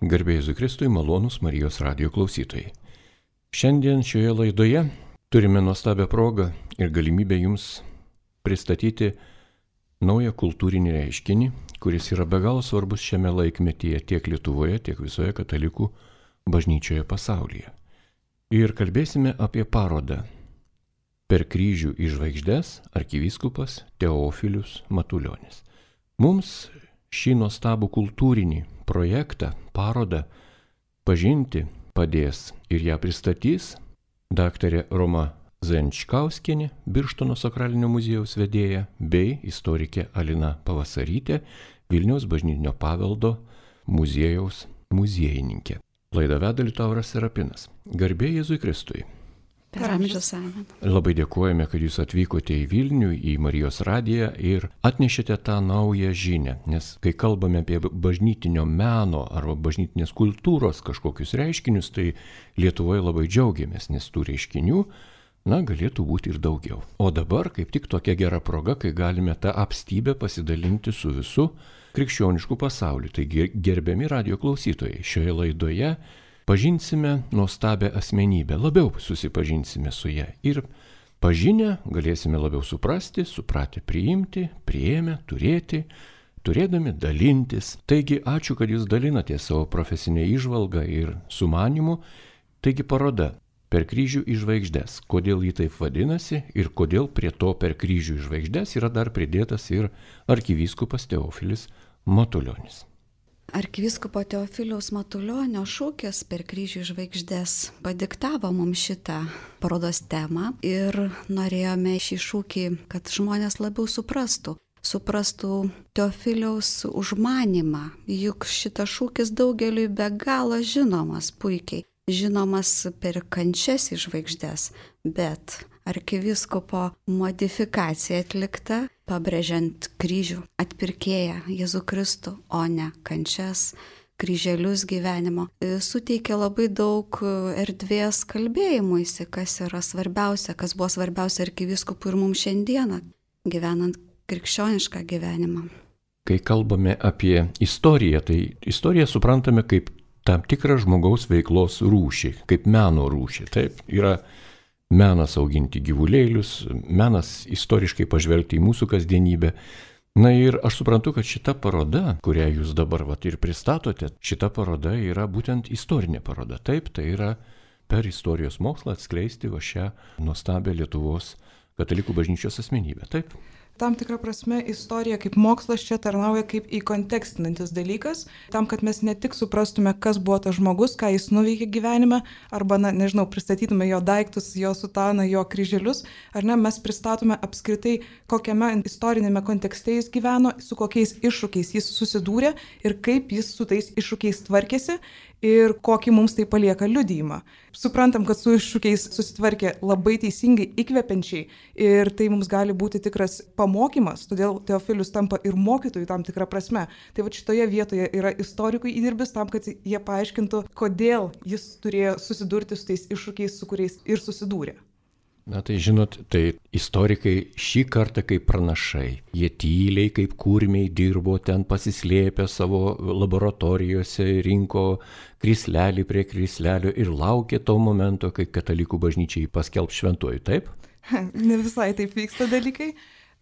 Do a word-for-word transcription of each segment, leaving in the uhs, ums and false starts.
Garbė Jėzui Kristui, malonūs Marijos radijo klausytojai. Šiandien šioje laidoje turime nuostabią progą ir galimybę jums pristatyti naują kultūrinį reiškinį, kuris yra be galo svarbus šiame laikmetyje tiek Lietuvoje, tiek visoje katalikų bažnyčioje pasaulyje. Ir kalbėsime apie parodą Per kryžių į žvaigždes arkivyskupas Teofilius Matulionis. Mums šį nuostabų kultūrinį projektą, parodą pažinti padės ir ją pristatys daktarė Roma Zenčkauskienė, Birštono sakralinio muziejaus vedėja, bei istorikė Alina Pavasarytė, Vilniaus bažnytinio paveldo muziejaus muziejininkė. Laidą veda Liutauras Serapinas. Garbė Jėzui Kristui. Per amžius amen. Labai dėkojame, kad jūs atvykote į Vilnių, į Marijos radiją ir atnešėte tą naują žinią. Nes kai kalbame apie bažnytinio meno arba bažnytinės kultūros kažkokius reiškinius, tai Lietuvoje labai džiaugiamės, nes tų reiškinių, na, galėtų būti ir daugiau. O dabar kaip tik tokia gera proga, kai galime tą apstybę pasidalinti su visu krikščionišku pasauliu. Taigi, gerbiami radijo klausytojai, šioje laidoje pažinsime nuostabią asmenybę, labiau susipažinsime su ją ir pažinę galėsime labiau suprasti, supratę priimti, priėmę, turėti, turėdami dalintis. Taigi, ačiū, kad jūs dalinate savo profesinę įžvalgą ir sumanimu. Taigi, paroda Per kryžių į žvaigždes. Kodėl jį taip vadinasi ir kodėl prie to Per kryžių į žvaigždes yra dar pridėtas ir arkivyskupas Teofilis Matulionis. Arkivyskupo Teofiliaus Matulionio šūkis Per kryžių į žvaigždes padiktavo mums šitą parodos temą ir norėjome šį šūkį, kad žmonės labiau suprastų. Suprastų Teofiliaus užmanimą, juk šitas šūkis daugeliui be galo žinomas puikiai. Žinomas per kančias į žvaigždes, bet arkivyskupo modifikacija atlikta, pabrėžiant kryžių atpirkėją Jėzų Kristų, o ne kančias, kryželius gyvenimo, suteikia labai daug erdvės kalbėjimuisi, kas yra svarbiausia, kas buvo svarbiausia arkivyskupui ir mums šiandieną, gyvenant krikščionišką gyvenimą. Kai kalbame apie istoriją, tai istoriją suprantame kaip tam tikrą žmogaus veiklos rūšį, kaip meno rūšį. Taip, yra menas auginti gyvulėlius, menas istoriškai pažvelgti į mūsų kasdienybę. Na ir aš suprantu, kad šita paroda, kurią jūs dabar vat, ir pristatote, šita paroda yra būtent istorinė paroda. Taip, tai yra per istorijos mokslą atskleisti va šią nuostabią Lietuvos katalikų bažnyčios asmenybę. Taip. Tam tikrą prasme istorija kaip mokslas čia tarnauja kaip įkontekstinantis dalykas, tam, kad mes ne tik suprastume, kas buvo tas žmogus, ką jis nuveikė gyvenime, arba, na, nežinau, pristatytume jo daiktus, jo sutaną, jo kryželius, ar ne, mes pristatome apskritai, kokiame istorinėme kontekste jis gyveno, su kokiais iššūkiais jis susidūrė ir kaip jis su tais iššūkiais tvarkėsi ir kokį mums tai palieka liudijimą. Suprantam, kad su iššūkiais susitvarkė labai teisingai, įkvepiančiai ir tai mums gali būti tikras pamokymas, todėl Teofilius tampa ir mokytojų tam tikrą prasme. Tai va šitoje vietoje yra istorikų įdirbis tam, kad jie paaiškintų, kodėl jis turėjo susidurti su tais iššūkiais, su kuriais ir susidūrė. Na tai žinot, tai istorikai šį kartą kaip pranašai. Jie tyliai kaip kurmiai dirbo ten pasislėpę savo laboratorijose, rinko krislelį prie krislelio ir laukė to momento, kai katalikų bažnyčiai paskelb šventuoju, taip? Ne visai taip vyksta dalykai.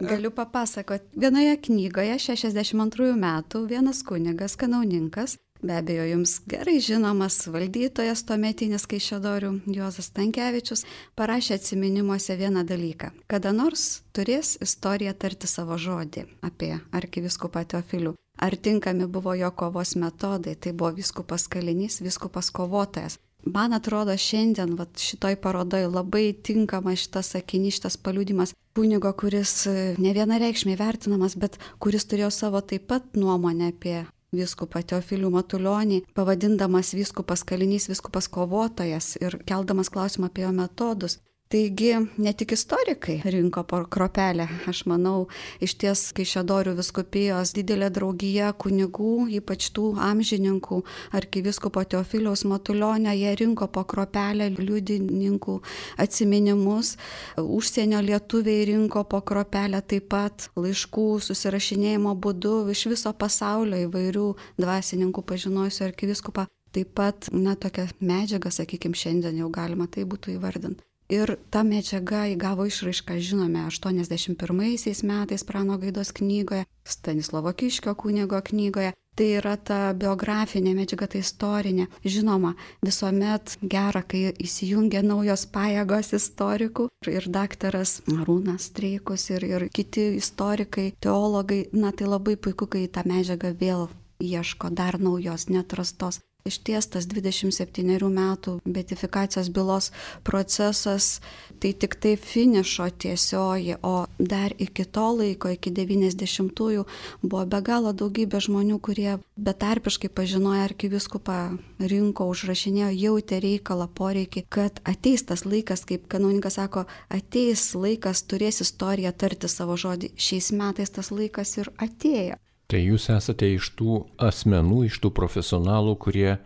Galiu papasakoti. Vienoje knygoje šešiasdešimt antrųjų metų vienas kunigas, kanauninkas, be abejo jums gerai žinomas valdytojas tuometinis Kaišiadorių Juozas Stankevičius, parašė atsiminimuose vieną dalyką. Kada nors turės istorija tarti savo žodį apie arkivyskupą Teofilių. Ar tinkami buvo jo kovos metodai, tai buvo vyskupas kalinys, vyskupas kovotojas. Man atrodo, šiandien vat, šitoj parodoj labai tinkama šitas sakinys, šitas paliudimas kunigo, kuris ne vienareikšmiai vertinamas, bet kuris turėjo savo taip pat nuomonę apie vyskupą Teofilių Matulionį, pavadindamas vyskupas kalinys, vyskupas kovotojas ir keldamas klausimą apie jo metodus. Taigi, ne tik istorikai rinko po kropelę. Aš manau, iš ties Kaišiadorių vyskupijos didelė draugija kunigų, ypač tų amžininkų, arkivyskupo Teofiliaus Matulionio, jie rinko po kropelę liudininkų atsiminimus. Užsienio lietuviai rinko po kropelę taip pat laiškų susirašinėjimo būdu iš viso pasaulio įvairių dvasininkų pažinojusių arkivyskupą. Taip pat, na, tokia medžiaga, sakykime, šiandien jau galima tai būtų įvardinti. Ir ta medžiaga įgavo išraišką, žinome, aštuoniasdešimt pirmaisiais metais Prano Gaidos knygoje, Stanislovo Kiškio kunigo knygoje. Tai yra ta biografinė medžiaga, tai istorinė. Žinoma, visuomet gera, kai įsijungia naujos pajėgos istorikų. Ir daktaras Arūnas Streikus ir, ir kiti istorikai, teologai, na tai labai puiku, kai tą medžiagą vėl ieško dar naujos, neatrastos. Išties tas dvidešimt septynerių metų beatifikacijos bylos procesas tai tik tai finišo tiesioji, o dar iki to laiko, iki devyniasdešimtųjų buvo be galo daugybė žmonių, kurie betarpiškai pažinojo arkivyskupą, rinko, užrašinėjo, jautė reikalą, poreikį, kad ateis tas laikas, kaip kanauninkas sako, ateis laikas, turės istorija tarti savo žodį. Šiais metais tas laikas ir atėjo. Tai jūs esate iš tų asmenų, iš tų profesionalų, kurie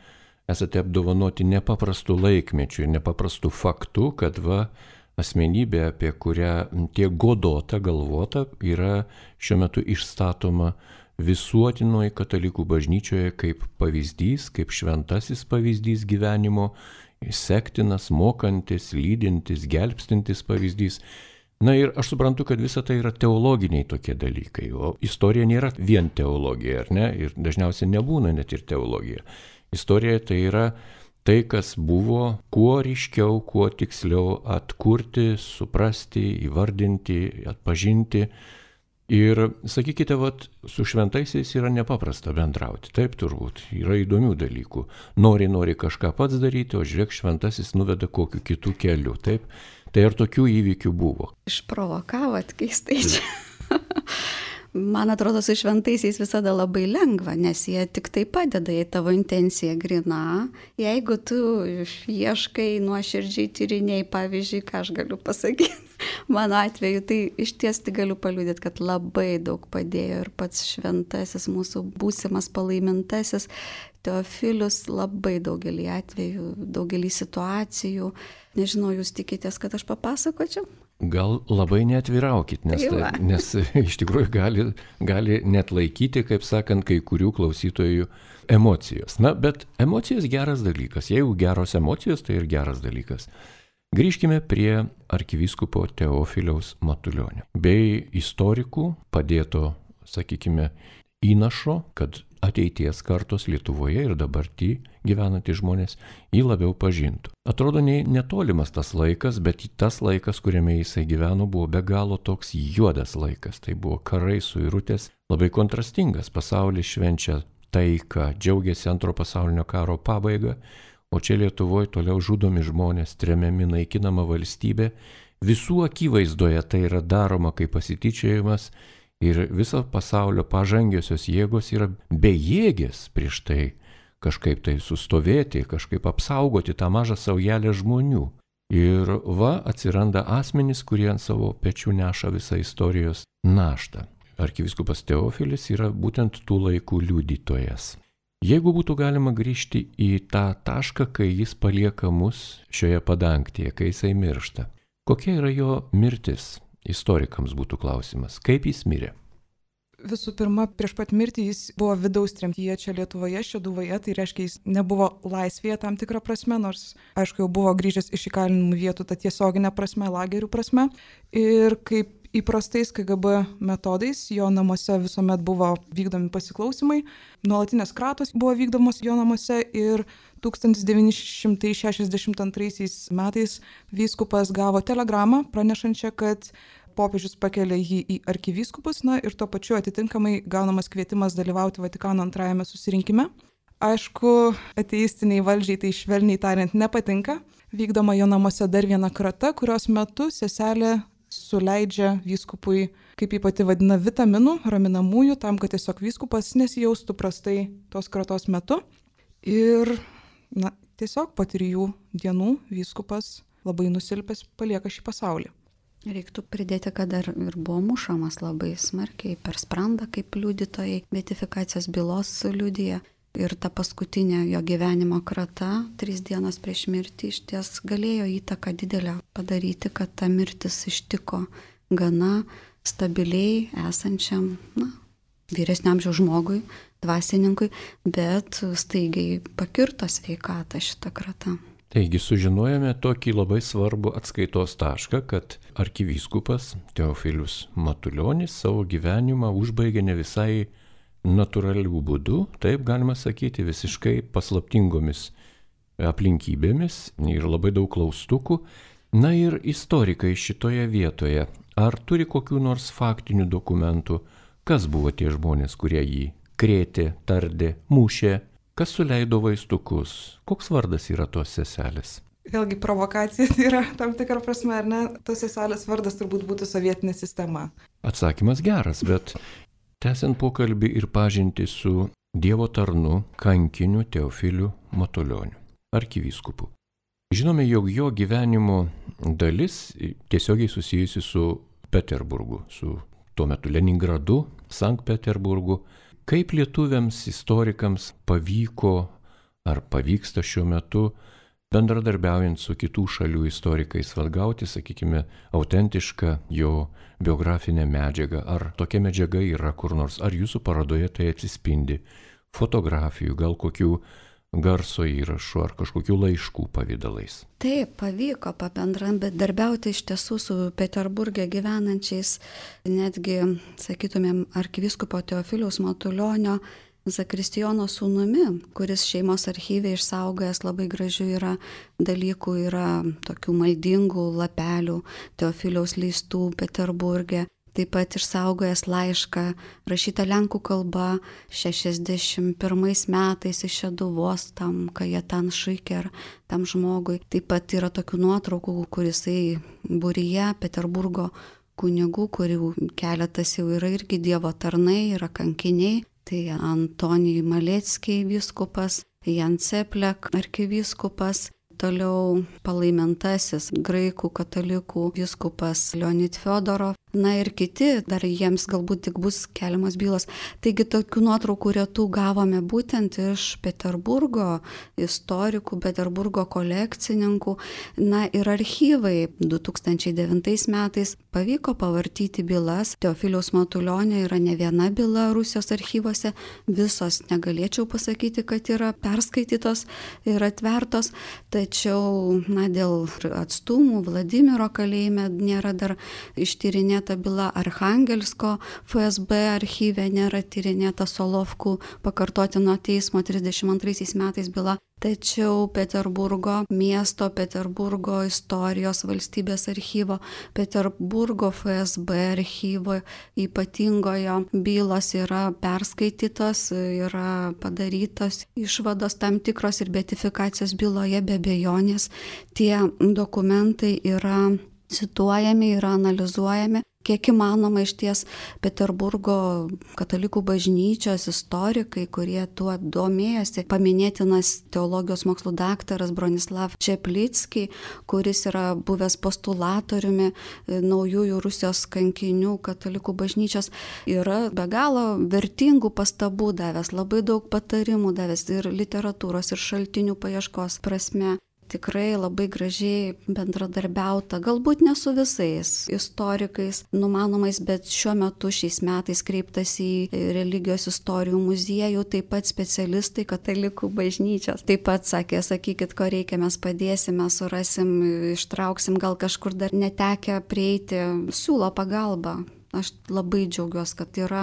esate apdovanoti nepaprastų laikmečių ir nepaprastų faktų, kad va, asmenybė, apie kurią tiek godota, galvota, yra šiuo metu išstatoma visuotinoje katalikų bažnyčioje kaip pavyzdys, kaip šventasis pavyzdys gyvenimo, sektinas, mokantis, lydintis, gelbstintis pavyzdys. Na ir aš suprantu, kad visa tai yra teologiniai tokie dalykai, o istorija nėra vien teologija, ar ne? Ir dažniausiai nebūna net ir teologija. Istorija tai yra tai, kas buvo, kuo ryškiau, kuo tiksliau atkurti, suprasti, įvardinti, atpažinti. Ir sakykite, vat, su šventaisiais yra nepaprasta bendrauti, taip turbūt, yra įdomių dalykų. Nori, nori kažką pats daryti, o žiūrėk, šventasis nuveda kokiu kitų keliu, taip? Tai ir tokių įvykių buvo. Išprovokavot keistai čia. Man atrodo, su šventaisiais visada labai lengva, nes jie tik tai padeda, jei tavo intencija grina. Jeigu tu ieškai nuoširdžiai tyrinėjai, pavyzdžiui, ką aš galiu pasakyti, mano atveju, tai iš ties tai galiu paliudyti, kad labai daug padėjo ir pats šventasis, mūsų būsimas palaimintasis Teofilius labai daugelį atvejų, daugelį situacijų. Nežinau, jūs tikitės, kad aš papasakočiau? Gal labai neatviraukit, nes, tai, nes iš tikrųjų gali, gali net laikyti, kaip sakant, kai kurių klausytojų emocijos. Na, bet emocijos geras dalykas. Jeigu geros emocijos, tai ir geras dalykas. Grįžkime prie arkivyskupo Teofiliaus Matulionio bei istorikų padėto, sakykime, įnašo, kad ateities kartos Lietuvoje ir dabartį gyvenantys žmonės jį labiau pažintų. Atrodo ne, netolimas tas laikas, bet tas laikas, kuriame jisai gyveno, buvo be galo toks juodas laikas. Tai buvo karai, suirutės, labai kontrastingas. Pasaulis švenčia taiką, džiaugiasi antro pasaulinio karo pabaigą, o čia Lietuvoje toliau žudomi žmonės, tremiami, naikinama valstybė. Visų akivaizdoje tai yra daroma kaip pasityčiojimas. Ir viso pasaulio pažangiosios jėgos yra bejėgės prieš tai kažkaip tai sustovėti, kažkaip apsaugoti tą mažą saujelę žmonių. Ir va atsiranda asmenys, kurie ant savo pečių neša visą istorijos naštą. Arkivyskupas Teofilis yra būtent tų laikų liudytojas. Jeigu būtų galima grįžti į tą tašką, kai jis palieka mus šioje padangtėje, kai jisai miršta, kokia yra jo mirtis? Istorikams būtų klausimas, kaip jis mirė? Visų pirma, prieš pat mirtį jis buvo vidaus tremtyje čia Lietuvoje, Šeduvoje, tai reiškia, jis nebuvo laisvėje tam tikrą prasme, nors, aišku, jau buvo grįžęs iš įkalinimų vietų, ta tiesioginė prasme, lagerių prasme. Ir kaip įprastais K G B metodais, jo namuose visuomet buvo vykdomi pasiklausymai, nuolatinės kratos buvo vykdomos jo namuose ir tūkstantis devyni šimtai šešiasdešimt antraisiais metais vyskupas gavo telegramą pranešančią, kad popiežius pakelia jį į arkivyskupus, na ir tuo pačiu atitinkamai gaunamas kvietimas dalyvauti Vatikano antrajame susirinkime. Aišku, ateistiniai valdžiai tai švelniai tariant nepatinka. Vykdoma jo namuose dar viena krata, kurios metu seselė suleidžia vyskupui, kaip jį pati vadina, vitaminų, raminamųjų, tam, kad tiesiog vyskupas nesijaustų prastai tos kratos metu. Ir na, tiesiog po trijų dienų vyskupas labai nusilpęs palieka šį pasaulį. Reiktų pridėti, kad dar ir buvo mušamas labai smarkiai per sprandą, kaip liudytojai beatifikacijos bylos liudija. Ir ta paskutinė jo gyvenimo krata, trys dienos prieš mirtį, iš ties galėjo įtaką didelę padaryti, kad ta mirtis ištiko gana stabiliai esančiam, na, vyresnio amžiaus žmogui, dvasininkui, bet staigiai pakirto sveikatą šitą kratą. Taigi sužinojome tokį labai svarbų atskaitos tašką, kad arkivyskupas Teofilius Matulionis savo gyvenimą užbaigė ne visai natūralių būdų, taip galima sakyti, visiškai paslaptingomis aplinkybėmis ir labai daug klaustukų. Na ir istorikai šitoje vietoje, ar turi kokių nors faktinių dokumentų, kas buvo tie žmonės, kurie jį krėtė, tardė, mušė, kas suleido vaistukus, koks vardas yra tos seselės? Vėlgi provokacija yra tam tikra prasme, ar ne? Tos seselės vardas turbūt būtų sovietinė sistema. Atsakymas geras, bet tęsiant pokalbį ir pažinti su Dievo tarnu, kankiniu Teofiliu Matulioniu, arkivyskupu. Žinome, jog jo gyvenimo dalis tiesiogiai susijusi su Peterburgu, su tuo metu Leningradu, Sankt Peterburgu. Kaip lietuviams, istorikams pavyko ar pavyksta šiuo metu bendradarbiaujant su kitų šalių istorikais atgauti, sakykime, autentišką jo biografinę medžiagą. Ar tokia medžiaga yra kur nors, ar jūsų parodoje tai atsispindi fotografijų, gal kokių garso įrašų ar kažkokių laiškų pavydalais? Taip, pavyko pabendradarbiauti iš tiesų su Peterburge gyvenančiais, netgi, sakytumėm, arkivyskupo Teofiliaus Matulionio Zakristijono sūnumi, kuris šeimos archyve išsaugojęs labai gražių yra dalykų, yra tokių maldingų lapelių Teofiliaus leistų Peterburge. Taip pat išsaugojęs laišką rašytą lenkų kalba šešiasdešimt pirmais metais iš Šeduvos tam Kajetan Šuiker, tam žmogui. Taip pat yra tokių nuotraukų, kurisai būryje Peterburgo kunigų, kurių keletas jau yra irgi Dievo tarnai, yra kankiniai. Tai Antonijui Maleckiai vyskupas, Jan Ceplek arkivyskupas, toliau palaimintasis graikų katalikų vyskupas Leonid Fiodorov, na ir kiti, dar jiems galbūt tik bus keliamos bylos. Taigi tokių nuotraukų retų gavome būtent iš Peterburgo istorikų, Peterburgo kolekcininkų. Na ir archyvai du tūkstančiai devintais metais pavyko pavartyti bylas. Teofiliaus Matulionio yra ne viena byla Rusijos archyvose, visos negalėčiau pasakyti, kad yra perskaitytos ir atvertos, tačiau na, dėl atstumų Vladimiro kalėjime nėra dar ištyrinėta byla, Archangelsko F S B archyve nėra tyrinėta Solovkų pakartotino teismo trisdešimt antraisiais metais byla. Tačiau Peterburgo miesto, Peterburgo istorijos valstybės archyvo, Peterburgo F S B archyvo ypatingojo bylos yra perskaitytos, yra padarytos išvados tam tikros ir beatifikacijos byloje be abejonės. Tie dokumentai yra cituojami, yra analizuojami. Kiek įmanoma išties Peterburgo katalikų bažnyčios istorikai, kurie tuo domėjosi, paminėtinas teologijos mokslų daktaras Bronislav Čeplicki, kuris yra buvęs postulatoriumi naujųjų Rusijos kankinių katalikų bažnyčios, yra be galo vertingų pastabų davęs, labai daug patarimų davęs ir literatūros, ir šaltinių paieškos prasme. Tikrai labai gražiai bendradarbiauta, galbūt ne su visais istorikais numanomais, bet šiuo metu šiais metais kreiptas į religijos istorijų muziejų, taip pat specialistai katalikų bažnyčios. Taip pat sakė, sakykit, ko reikia, mes padėsime, surasim, ištrauksim, gal kažkur dar netekę prieiti, siūlo pagalbą. Aš labai džiaugiuosi, kad yra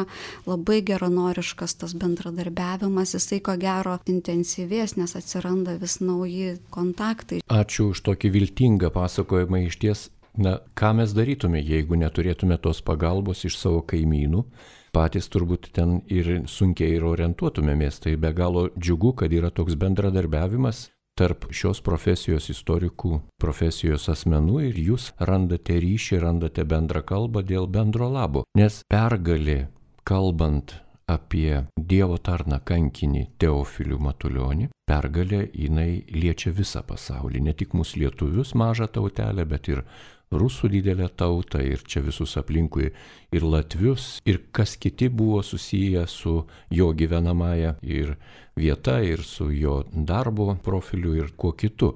labai geranoriškas tas bendradarbiavimas, jisai ko gero intensyvės, nes atsiranda vis nauji kontaktai. Ačiū už tokį viltingą pasakojimą. Iš ties, na, ką mes darytume, jeigu neturėtume tos pagalbos iš savo kaimynų? Patys turbūt ten ir sunkiai ir orientuotumėmės. Tai be galo džiugu, kad yra toks bendradarbiavimas tarp šios profesijos istorikų, profesijos asmenų ir jūs randate ryšį, randate bendrą kalbą dėl bendro labo. Nes pergalė, kalbant apie Dievo tarną kankinį Teofilių Matulionį. Pergalė jinai liečia visą pasaulį, ne tik mūsų lietuvius mažą tautelę, bet ir rusų didelę tautą ir čia visus aplinkui ir latvius ir kas kiti buvo susiję su jo gyvenamąja ir vieta ir su jo darbo profiliu ir kuo kitu.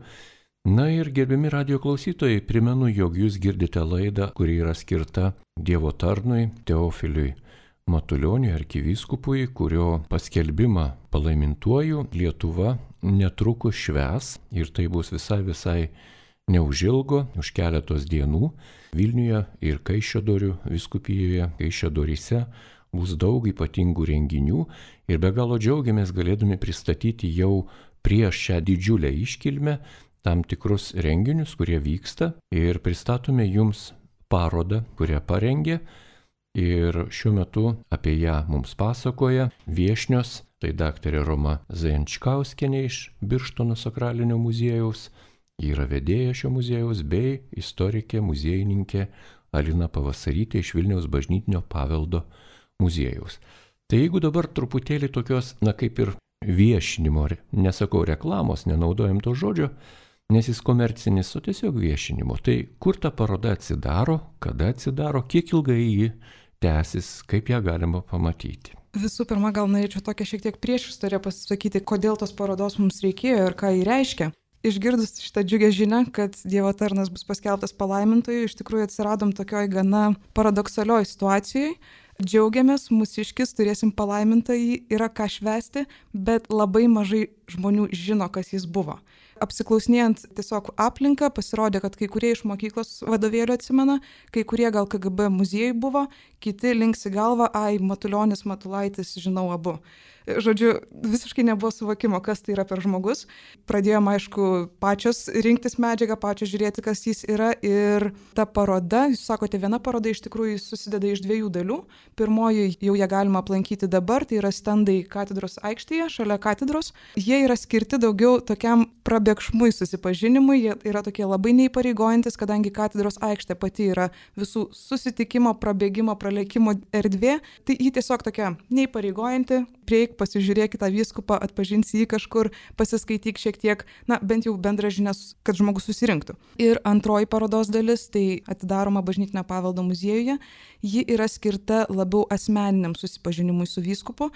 Na ir gerbiami radijo klausytojai, primenu, jog jūs girdite laidą, kuri yra skirta Dievo tarnui Teofiliui Matulioniui arkivyskupui, kurio paskelbimą palaimintuoju Lietuva netrukus švęs ir tai bus visai visai neužilgo, už keletos dienų Vilniuje ir Kaišiadorių vyskupijoje, Kaišiadoryse bus daug ypatingų renginių ir be galo džiaugiamės galėdami pristatyti jau prieš šią didžiulę iškilmę tam tikrus renginius, kurie vyksta ir pristatome jums parodą, kurią parengė ir šiuo metu apie ją mums pasakoja viešnios, tai daktarė Roma Zajančkauskienė iš Birštono sakralinio muziejaus, yra vedėja šio muziejaus bei istorikė, muziejininkė Alina Pavasarytė iš Vilniaus bažnytinio paveldo muziejaus. Tai jeigu dabar truputėlį tokios, na kaip ir viešinimo, nesakau reklamos, nenaudojam to žodžio, nes jis komercinis, o tiesiog viešinimo. Tai kur ta paroda atsidaro, kada atsidaro, kiek ilgai ji tęsis, kaip ją galima pamatyti. Visų pirma, gal norėčiau tokią šiek tiek priešistorę pasakyti, kodėl tos parodos mums reikėjo ir ką jį reiškia. Išgirdus šitą džiugę žinią, kad Dievo tarnas bus paskelbtas palaimintoju, iš tikrųjų atsiradom tokioj gana paradoksalioj situacijai. Džiaugiamės, mūsiškis, turėsim palaimintąjį, yra ką švęsti, bet labai mažai žmonių žino, kas jis buvo. Apsiklausinėjant tiesiog aplinką, pasirodė, kad kai kurie iš mokyklos vadovėlių atsimena, kai kurie gal K G B muziejai buvo, kiti linksi galvą, ai, Matulionis, Matulaitis, žinau abu. Žodžiu, visiškai nebuvo suvokimo, kas tai yra per žmogus. Pradėjom, aišku, pačios rinktis medžiagą, pačios žiūrėti, kas jis yra. Ir ta paroda, jūs sakote, viena paroda iš tikrųjų susideda iš dviejų dalių. Pirmoji jau ją galima aplankyti dabar, tai yra stendai katedros aikštėje, šalia katedros. Jie yra skirti daugiau tokiam prabėgšmui susipažinimui, jie yra tokie labai neįpareigojantis, kadangi katedros aikštė pati yra visų susitikimo, prabėgimo, praleikimo erdvė. Tai ji tiesiog tokia neįpareigojanti, prieik, pasižiūrėk tą vyskupą, atpažinsi jį kažkur, pasiskaityk šiek tiek, na, bent jau bendra žinias, kad žmogus susirinktų. Ir antroji parodos dalis, tai atidaroma bažnytinio paveldo muziejuje, ji yra skirta labiau asmeniniam susipažinimui su vyskupu.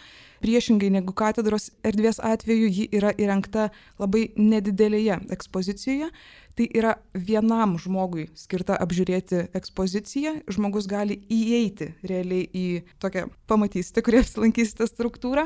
Priešingai negu katedros erdvės atveju, ji yra įrengta labai nedidelėje ekspozicijoje. Tai yra vienam žmogui skirta apžiūrėti ekspoziciją. Žmogus gali įeiti realiai į tokią, pamatysite, kurie apsilankysite struktūrą.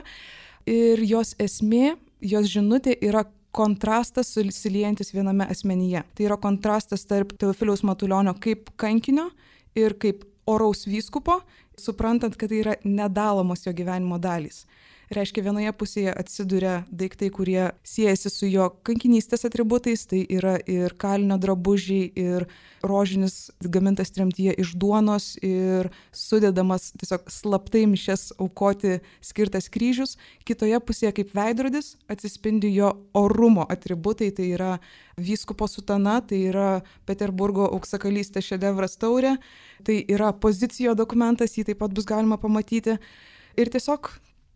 Ir jos esmė, jos žinutė yra kontrastas susiliejantis viename asmenyje. Tai yra kontrastas tarp Teofiliaus Matulionio kaip kankinio ir kaip oraus vyskupo, suprantant, kad tai yra nedalomos jo gyvenimo dalys. Reiškia, vienoje pusėje atsiduria daiktai, kurie siejasi su jo kankinystės atributais, tai yra ir kalinio drabužiai, ir rožinis gamintas tremtyje iš duonos, ir sudedamas tiesiog slaptai mišias aukoti skirtas kryžius. Kitoje pusėje kaip veidrodis atsispindi jo orumo atributai, tai yra vyskupo sutana, tai yra Peterburgo auksakalystės šedevras taurė, tai yra pozicijo dokumentas, jį taip pat bus galima pamatyti. Ir tiesiog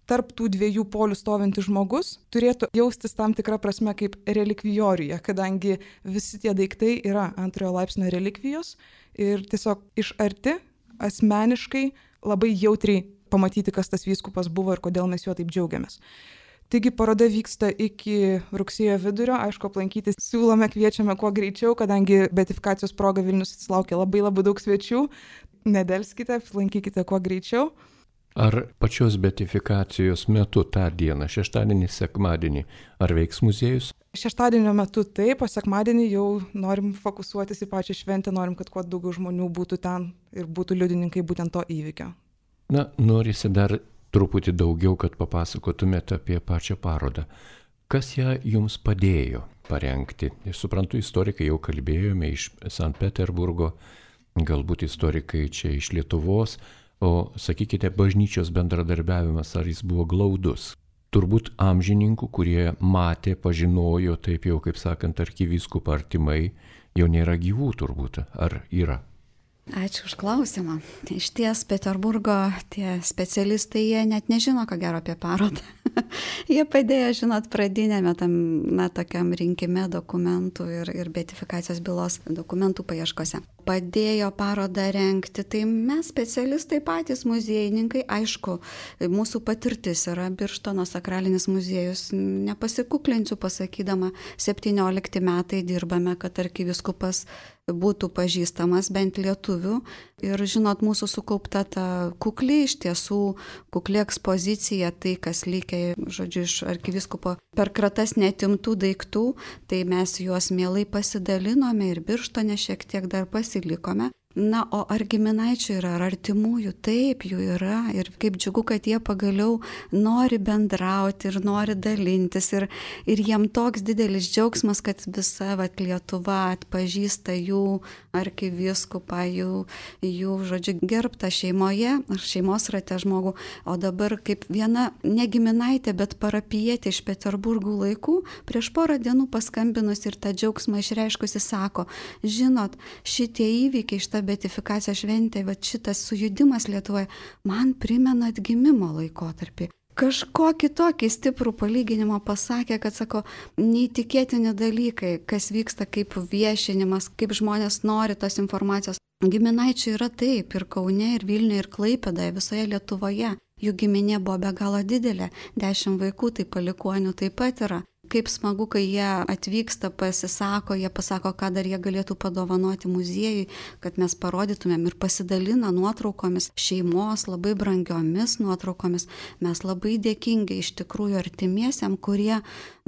tarp tų dviejų polių stovintis žmogus turėtų jaustis tam tikrą prasme kaip relikvijoriuje, kadangi visi tie daiktai yra antrojo laipsnio relikvijos ir tiesiog iš arti, asmeniškai, labai jautriai pamatyti, kas tas vyskupas buvo ir kodėl mes juo taip džiaugiamės. Taigi paroda vyksta iki rugsėjo vidurio, aišku, aplankyti siūlome, kviečiame kuo greičiau, kadangi beatifikacijos proga Vilnius atsilaukia labai labai daug svečių. Nedelskite, aplankykite kuo greičiau. Ar pačios beatifikacijos metu tą dieną, šeštadienį, sekmadienį, ar veiks muziejus? Šeštadienio metu taip, o sekmadienį jau norim fokusuotis į pačią šventę, norim, kad kuo daugiau žmonių būtų ten ir būtų liudininkai būtent to įvykio. Na, norisi dar truputį daugiau, kad papasakotumėte apie pačią parodą. Kas ją jums padėjo parengti? Aš suprantu, istorikai jau kalbėjome iš Sankt Peterburgo, galbūt istorikai čia iš Lietuvos, o sakykite, bažnyčios bendradarbiavimas, ar jis buvo glaudus? Turbūt amžininkų, kurie matė, pažinojo, taip jau, kaip sakant, arkivyskupą artimai, jau nėra gyvų turbūt, ar yra? Ačiū už klausimą. Iš ties Peterburgo tie specialistai, jie net nežino, ko gero apie parodą. Jie padėjo, žinot, pradinėme tam, na, tokiam rinkime dokumentų ir, ir beatifikacijos bylos dokumentų paieškose. Padėjo parodą rengti, tai mes specialistai patys muziejininkai, aišku, mūsų patirtis yra Birštono sakralinis muziejus, nepasikuklinsiu pasakydama, septyniolikti metai dirbame, kad arkivyskupas būtų pažįstamas bent lietuvių ir, žinot, mūsų sukaupta ta kukli, iš tiesų kukli ekspozicija, tai kas likę, žodžiu, iš arkivyskupo per kratas netimtų daiktų, tai mes juos mielai pasidalinome ir Birštone šiek tiek dar pasilikome. Na, o ar giminaičių yra, ar artimųjų? Taip, jų yra ir kaip džiugu, kad jie pagaliau nori bendrauti ir nori dalintis ir, ir jiem toks didelis džiaugsmas, kad visa vat, Lietuva atpažįsta jų arkivyskupą, jų, jų, žodžiu, gerbtą šeimoje ar šeimos rate žmogų, o dabar kaip viena ne giminaitė, bet parapijietė iš Peterburgų laikų, prieš porą dienų paskambinus ir tą džiaugsmą išreiškusi sako, žinot, šitie įvykiai, šitą beatifikacijos šventė, va šitas sujudimas Lietuvoje man primena atgimimo laikotarpį. Kažkokį tokį stiprų palyginimą pasakė, kad, sako, neįtikėtini dalykai, kas vyksta kaip viešinimas, kaip žmonės nori tos informacijos. Giminaičių yra taip ir Kaune, ir Vilniuje, ir Klaipėdoje, visoje Lietuvoje. Jų giminė buvo be galo didelė, dešimt vaikų, tai palikuonių taip pat yra. Kaip smagu, kai jie atvyksta, pasisako, jie pasako, ką dar jie galėtų padovanoti muziejui, kad mes parodytumėm ir pasidalina nuotraukomis, šeimos labai brangiomis nuotraukomis. Mes labai dėkingi iš tikrųjų artimiesiam, kurie,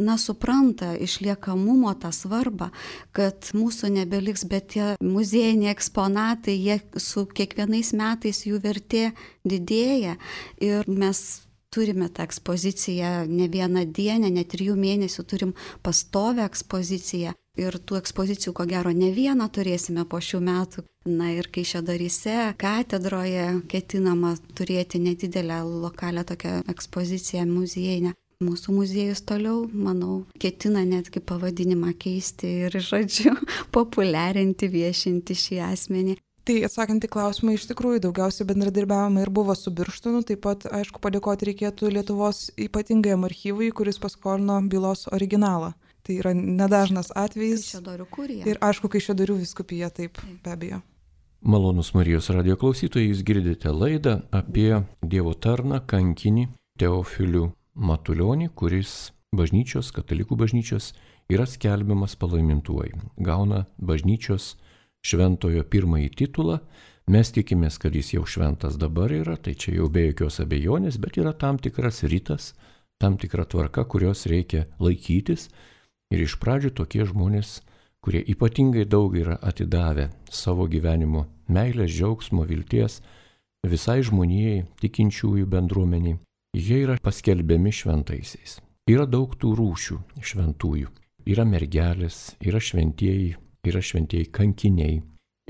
na, supranta išliekamumo tą svarbą, kad mūsų nebeliks, bet tie muziejiniai eksponatai, jie su kiekvienais metais jų vertė didėja ir mes turime tą ekspoziciją ne vieną dieną, ne trijų mėnesių turim pastovę ekspoziciją ir tų ekspozicijų, ko gero, ne vieną turėsime po šių metų. Na ir Kaišiadoryse, katedroje ketinama turėti nedidelę lokalią tokią ekspoziciją muziejinę. Mūsų muziejus toliau, manau, ketina netgi pavadinimą keisti ir, žodžiu, populiarinti, viešinti šį asmenį. Tai atsakant į klausimą, iš tikrųjų daugiausiai bendradarbiavimai ir buvo su Birštonu, taip pat, aišku, padėkoti reikėtų Lietuvos ypatingajam archyvui, kuris paskolino bylos originalą. Tai yra nedažnas atvejis. Kaišiadorių kurija. Ir aišku, Kaišiadorių vyskupija, taip, be abejo. Malonus Marijos radijo klausytojai, jūs girdite laidą apie Dievo tarną kankinį Teofilių Matulionį, kuris bažnyčios, katalikų bažnyčios yra skelbiamas palaimintuoju. Gauna bažnyčios šventojo pirmąjį titulą, mes tikimės, kad jis jau šventas dabar yra, tai čia jau be jokios abejonės, bet yra tam tikras ritas, tam tikra tvarka, kurios reikia laikytis. Ir iš pradžių tokie žmonės, kurie ypatingai daug yra atidavę savo gyvenimo meilės, džiaugsmo, vilties visai žmonijai, tikinčiųjų bendruomeniai, jie yra paskelbiami šventaisiais. Yra daug tų rūšių šventųjų. Yra mergelės, yra šventieji, yra šventieji kankiniai.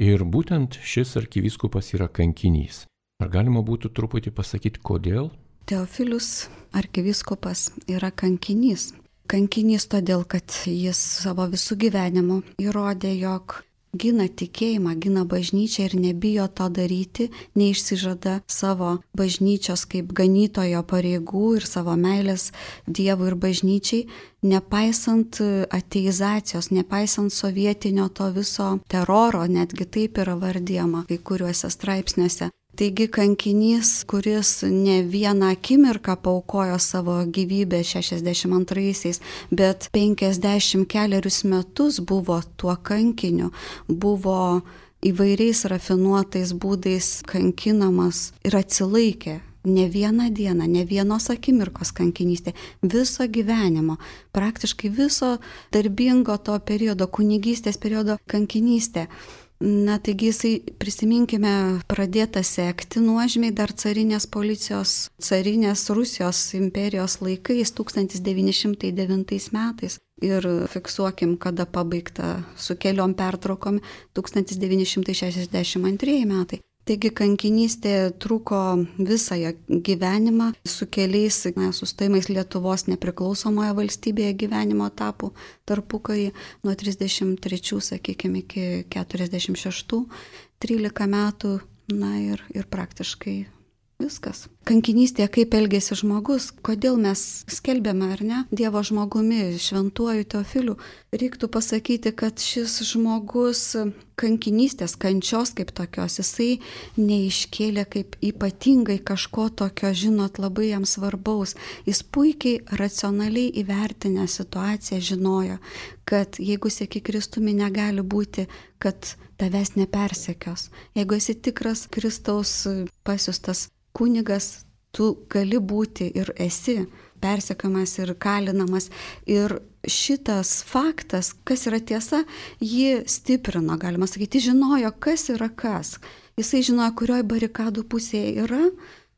Ir būtent šis arkivyskupas yra kankinys. Ar galima būtų truputį pasakyti, kodėl? Teofilius arkivyskupas yra kankinys. Kankinys todėl, kad jis savo visų gyvenimu įrodė, jog gina tikėjimą, gina bažnyčią ir nebijo to daryti, neišsižada savo bažnyčios kaip ganytojo pareigų ir savo meilės Dievui ir bažnyčiai, nepaisant ateizacijos, nepaisant sovietinio to viso teroro, netgi taip yra vardijama kai kuriuose straipsniuose. Taigi kankinys, kuris ne vieną akimirką paaukojo savo gyvybę šešiasdešimt antraisiais, bet penkiasdešimt kelerius metus buvo tuo kankiniu, buvo įvairiais rafinuotais būdais kankinamas ir atsilaikė. Ne vieną dieną, ne vienos akimirkos kankinystė, viso gyvenimo, praktiškai viso darbingo to periodo, kunigystės periodo kankinystė. Na, taigi jisai, prisiminkime, pradėta sekti nuožmiai dar carinės policijos, carinės Rusijos imperijos laikais, tūkstantis devyni šimtai devintais metais. Ir fiksuokim, kada pabaigta su keliom pertraukom, tūkstantis devyni šimtai šešiasdešimt antrieji metai. Taigi kankinystė truko visą gyvenimą su keliais na, sustojimais Lietuvos nepriklausomoje valstybėje gyvenimo etapų tarpukarį nuo trisdešimt trečių, sakykime, iki keturiasdešimt šeštų. trylika metų, na ir, ir praktiškai viskas. Kankinystėje kaip elgėsi žmogus, kodėl mes skelbėme, ar ne, Dievo žmogumi, šventuoju Teofiliu. Reiktų pasakyti, kad šis žmogus kankinystės, kančios kaip tokios, jisai neiškėlė kaip ypatingai kažko tokio, žinot, labai jam svarbaus. Jis puikiai racionaliai įvertinę situaciją žinojo, kad jeigu seki Kristumi, negali būti, kad tavęs nepersekios. Jeigu esi tikras Kristaus pasiustas kunigas, tu gali būti ir esi persekiojamas ir kalinamas. Ir šitas faktas, kas yra tiesa, jį stiprino, galima sakyti, žinojo, kas yra kas. Jisai žinojo, kurioj barikadų pusėje yra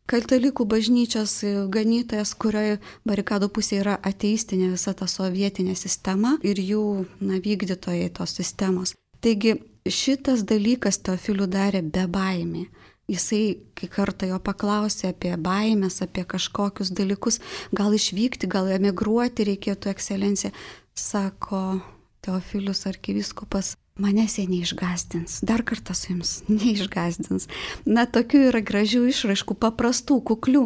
katalikų bažnyčios ganytojas, kurioje barikadų pusėje yra ateistinė visa ta sovietinė sistema ir jų na, vykdytojai tos sistemos. Taigi šitas dalykas Teofilių darė be baimė. Jisai, kai kartą jo paklausė apie baimės, apie kažkokius dalykus, gal išvykti, gal emigruoti reikėtų, ekscelencija, sako Teofilius arkivyskupas, manęs jie neišgąsdins, dar kartą su jums neišgąsdins. Na, tokių yra gražių išraiškų, paprastų, kuklių,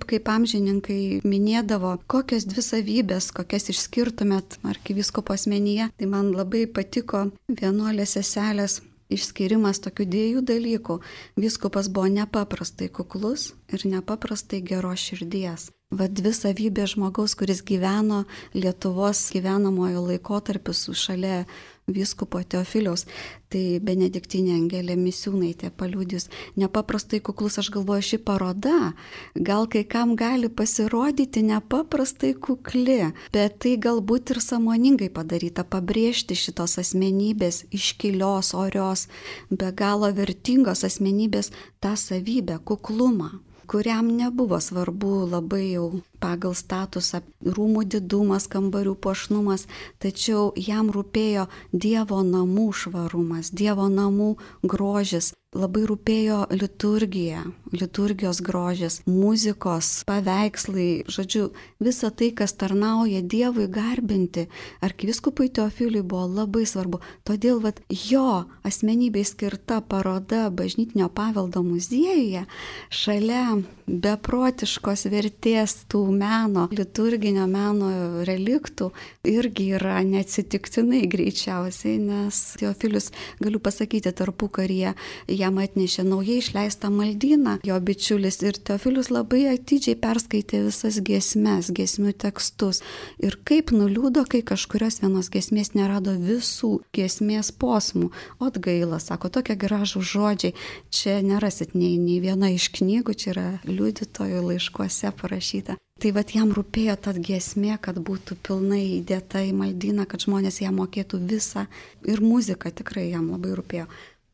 kaip amžininkai minėdavo, kokios dvi savybės, kokias išskirtumėt arkivyskupo asmenyje. Tai man labai patiko vienuolės seselės išskirimas tokių dviejų dalykų. Vyskupas buvo nepaprastai kuklus ir nepaprastai geros širdies. Va dvi savybės žmogaus, kuris gyveno Lietuvos gyvenamojo laikotarpiu šalia vyskupo Teofiliaus. Tai Benediktinė Angelė Misiūnaitė paliudys. Nepaprastai kuklus, aš galvoju, ši paroda gal kai kam gali pasirodyti nepaprastai kukli, bet tai galbūt ir sąmoningai padaryta, pabrėžti šitos asmenybės, iškilios, orios, be galo vertingos asmenybės tą savybę, kuklumą, kuriam nebuvo svarbu labai jau pagal statusą rūmų didumas, kambarių puošnumas, tačiau jam rūpėjo Dievo namų švarumas, Dievo namų grožis, labai rūpėjo liturgija, liturgijos grožis, muzikos, paveikslai, žodžiu, visa tai, kas tarnauja Dievui garbinti, arkivyskupui Teofiliui buvo labai svarbu. Todėl vat, jo asmenybei skirta paroda Bažnytinio paveldo muziejuje šalia beprotiškos vertės tų meno, liturginio meno reliktų irgi yra neatsitiktinai greičiausiai, nes Teofilius, galiu pasakyti, tarpukaryje jam atnešė naujai išleistą maldyną, jo bičiulis, ir Teofilius labai atidžiai perskaitė visas giesmes, giesmių tekstus. Ir kaip nuliūdo, kai kažkurios vienos giesmės nerado visų giesmės posmų. Ot gaila, sako, tokie gražų žodžiai, čia nerasit nei, nei viena iš knygų, čia yra liudytojų laiškuose parašyta. Tai vat jam rūpėjo ta giesmė, kad būtų pilnai įdėta į maldyną, kad žmonės ją mokėtų visą. Ir muzika tikrai jam labai rūpėjo.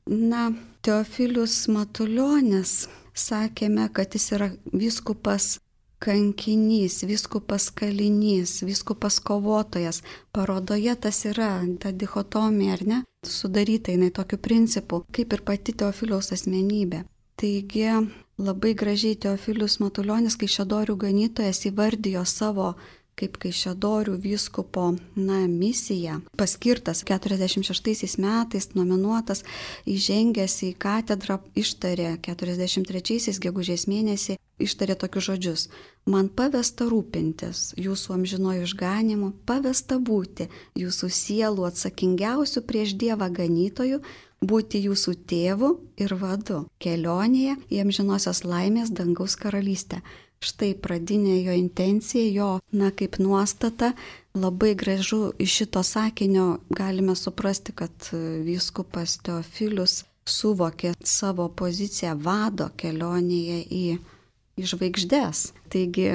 Na, Teofilius Matulionis, sakėme, kad jis yra vyskupas kankinys, vyskupas kalinys, vyskupas kovotojas. Parodoje tas yra, ta dichotomija, ar ne, sudaryta jinai tokiu principu, kaip ir pati Teofiliaus asmenybė. Taigi labai gražiai Teofilius Matulionis, Kaišiadorių ganytojas, įvardijo savo kaip Kaišiadorių vyskupo na, misiją. Paskirtas keturiasdešimt šeštaisiais metais, nominuotas, įžengęs į katedrą, ištarė keturiasdešimt trečiaisiais gegužės mėnesį, ištarė tokius žodžius. Man pavesta rūpintis jūsų amžinojų išganimu, pavesta būti jūsų sielų atsakingiausių prieš Dievą ganytojų, būti jūsų tėvu ir vadu kelionėje į amžinosios laimės dangaus karalystę. Štai pradinė jo intencija, jo, na, kaip nuostata, labai gražu iš šito sakinio galime suprasti, kad vyskupas Teofilius suvokė savo poziciją vado kelionėje į į žvaigždes. Taigi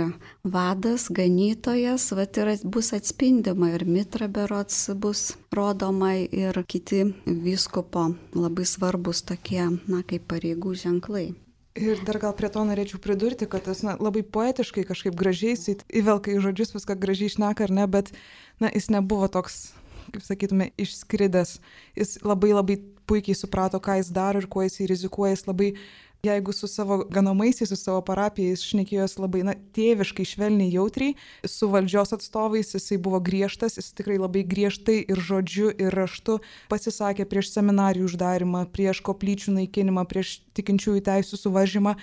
vadas, ganytojas, vat ir bus atspindima ir mitra berods bus rodoma ir kiti vyskupo labai svarbus tokie, na, kaip pareigų ženklai. Ir dar gal prie to norėčiau pridurti, kad tas na, labai poetiškai kažkaip gražiai įvelka į žodžius, viską gražiai šneka, ar ne, bet na, jis nebuvo toks, kaip sakytume, išskridęs. Jis labai labai puikiai suprato, ką jis daro ir kuo jis rizikuoja. Jis labai Jeigu su savo ganamaisiais, su savo parapijais šnekėjos labai na, tėviškai, švelniai, jautriai, su valdžios atstovais jisai buvo griežtas, jis tikrai labai griežtai ir žodžiu, ir raštu pasisakė prieš seminarijų uždarimą, prieš koplyčių naikinimą, prieš tikinčiųjų teisų suvaržymą.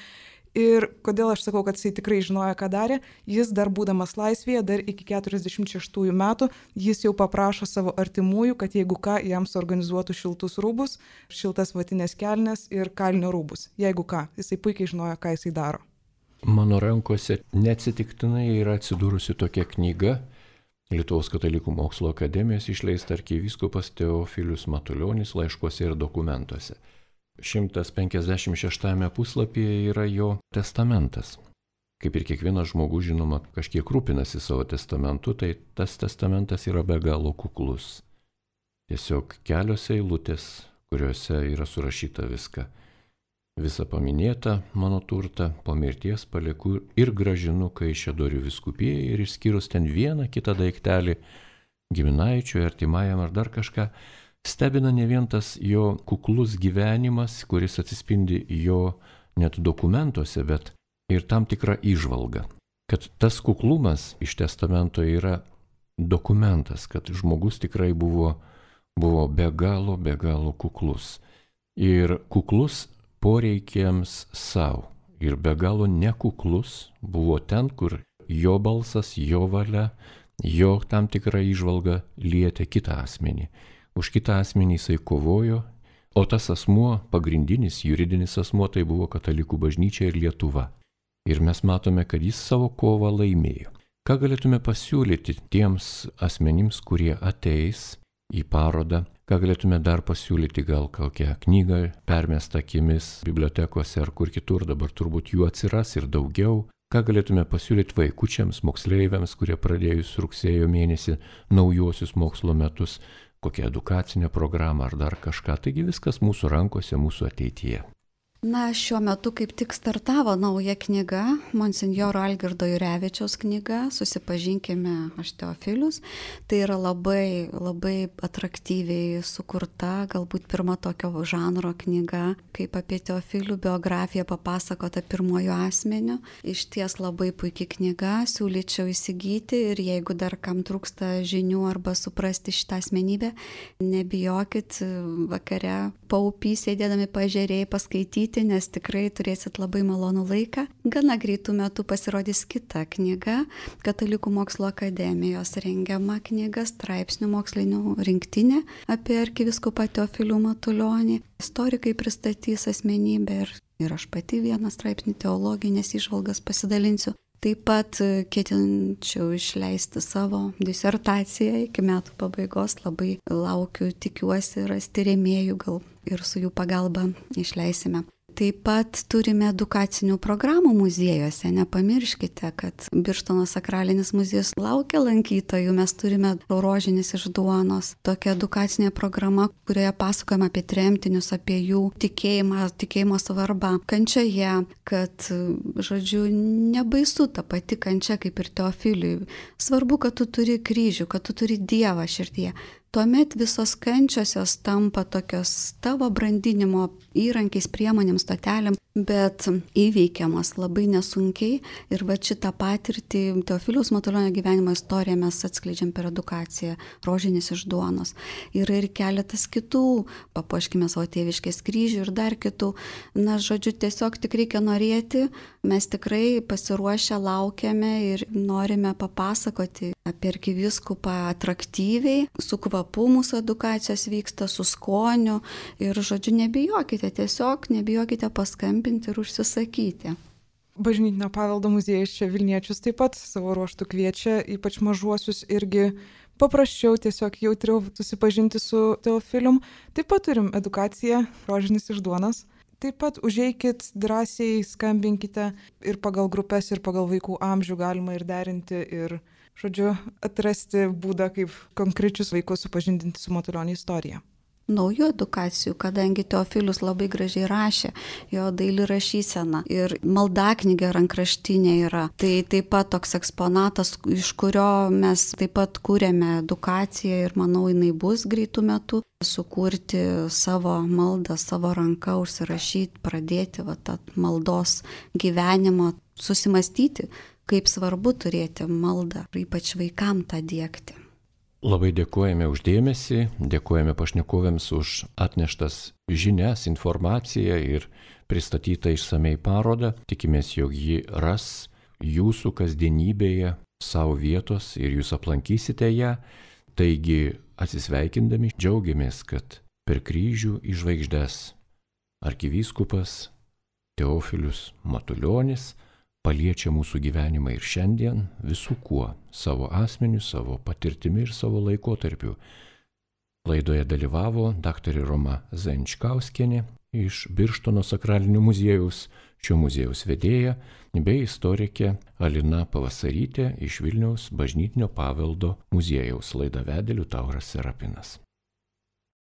Ir kodėl aš sakau, kad jisai tikrai žinojo, ką darė, jis dar būdamas laisvėje, dar iki keturiasdešimt šeštųjų metų, jis jau paprašo savo artimųjų, kad jeigu ką, jam suorganizuotų šiltus rūbus, šiltas vatinės kelnes ir kalinio rūbus. Jeigu ką, jisai puikiai žinojo, ką jisai daro. Mano rankose neatsitiktinai yra atsidūrusi tokia knyga, Lietuvos katalikų mokslo akademijos išleista arkivyskupas Teofilius Matulionis laiškuose ir dokumentuose. šimtas penkiasdešimt šeštame puslapyje yra jo testamentas. Kaip ir kiekvienas žmogus, žinoma, kažkiek rūpinasi savo testamentu, tai tas testamentas yra be galo kuklus. Tiesiog kelios eilutės, kuriuose yra surašyta viską. Visa paminėta mano turtą po mirties palieku ir gražinu Kaišiadorių vyskupijai ir išskyrus ten vieną kitą daiktelį giminaičiui, artimajam ar dar kažką, stebina ne vien tas jo kuklus gyvenimas, kuris atsispindi jo net dokumentuose, bet ir tam tikra įžvalga. Kad tas kuklumas iš testamento yra dokumentas, kad žmogus tikrai buvo, buvo be galo, be galo kuklus. Ir kuklus poreikiams savo. Ir be galo nekuklus buvo ten, kur jo balsas, jo valia, jo tam tikra įžvalga lietė kitą asmenį. Už kitą asmenį jisai kovojo, o tas asmuo, pagrindinis juridinis asmuo, tai buvo Katalikų bažnyčia ir Lietuva. Ir mes matome, kad jis savo kovą laimėjo. Ką galėtume pasiūlyti tiems asmenims, kurie ateis į parodą? Ką galėtume dar pasiūlyti, gal kokią knygą permestą akimis bibliotekose ar kur kitur, dabar turbūt jų atsiras ir daugiau. Ką galėtume pasiūlyti vaikučiams, moksleiviams, kurie pradėjus rugsėjo mėnesį naujuosius mokslo metus, kokią edukacinę programą ar dar kažką. Taigi viskas mūsų rankose, mūsų ateityje. Na, šiuo metu kaip tik startavo nauja knyga, monsinjoro Algirdo Jurevičiaus knyga, Susipažinkime, aš Teofilius. Tai yra labai, labai atraktyviai sukurta, galbūt pirma tokio žanro knyga, kaip apie Teofilių biografiją papasakota pirmojo asmeniu. Iš ties labai puikia knyga, siūlyčiau įsigyti ir jeigu dar kam trūksta žinių arba suprasti šitą asmenybę, nebijokit vakare paupy sėdėdami paežerėj paskaityti, nes tikrai turėsit labai malonų laiką. Gana greitų metų pasirodys kita knyga, Katalikų mokslo akademijos rengiama knyga, straipsnių mokslinių rinktinė apie arkivyskupą Teofilių Matulionį. Istorikai pristatys asmenybę ir, ir aš pati vieną straipsnį teologinės įžvalgas pasidalinsiu. Taip pat ketinčiau išleisti savo disertaciją iki metų pabaigos. Labai laukiu, tikiuosi rasti rėmėjų, gal ir su jų pagalba išleisime. Taip pat turime edukacinių programų muziejuose. Nepamirškite, kad Birštono sakralinis muziejus laukia lankytojų. Mes turime Rožinis iš duonos. Tokia edukacinė programa, kurioje pasakojama apie tremtinius, apie jų tikėjimą, tikėjimo svarbą kančioje, kad, žodžiu, nebaisu ta pati kančia kaip ir Teofiliui. Svarbu, kad tu turi kryžių, kad tu turi Dievą širdyje. Tuomet visos kančios jos tampa tokios tavo brandinimo įrankiais, priemonėm, stotelėm, bet įveikiamas labai nesunkiai. Ir va šitą patirtį Teofiliaus Matulionio gyvenimo istoriją mes atskleidžiam per edukaciją Rožinis iš duonos. Yra ir keletas kitų, papuoškime savo tėviškės kryžių ir dar kitų. Na, žodžiu, tiesiog tik reikia norėti. Mes tikrai pasiruošę laukiame ir norime papasakoti apie arkivyskupą atraktyviai, su kvapu mūsų edukacijos vyksta, su skoniu ir, žodžiu, nebijokite, tiesiog nebijokite paskambinti ir užsisakyti. Bažnytinio paveldo muziejus čia Vilniečius taip pat savo ruoštų kviečia, ypač mažuosius irgi paprasčiau, tiesiog jautriau susipažinti su Teofilium. Taip pat turim edukaciją Rožinis iš duonos. Taip pat užeikit, drąsiai skambinkite ir pagal grupės, ir pagal vaikų amžių galima ir derinti, ir, žodžiu, atrasti būdą, kaip konkrečius vaikus supažindinti su Matulionio istorija. naujų edukacijų, kadangi Teofilius labai gražiai rašė, jo daili rašysena ir maldaknygė rankraštinė yra. Tai taip pat toks eksponatas, iš kurio mes taip pat kūrėme edukaciją ir manau, jinai bus greitų metų. Sukurti savo maldą, savo ranką, užsirašyti, pradėti va, tą maldos gyvenimą, susimastyti, kaip svarbu turėti maldą, ypač vaikam tą diegti. Labai dėkojame už dėmesį, dėkojame pašnekovėms už atneštas žinias, informaciją ir pristatytą išsamei parodą. Tikimės, jog ji ras jūsų kasdienybėje savo vietos ir jūs aplankysite ją. Taigi, atsisveikindami, džiaugiamės, kad per kryžių į žvaigždes arkivyskupas Teofilius Matulionis paliečia mūsų gyvenimą ir šiandien visų kuo, savo asmeniu, savo patirtimi ir savo laikotarpiu. Laidoje dalyvavo daktarė Roma Zajančkauskienė iš Birštono sakralinio muziejaus, šio muziejaus vedėja, bei istorikė Alina Pavasarytė iš Vilniaus bažnytinio paveldo muziejaus. Laidą vedė Liutauras Serapinas.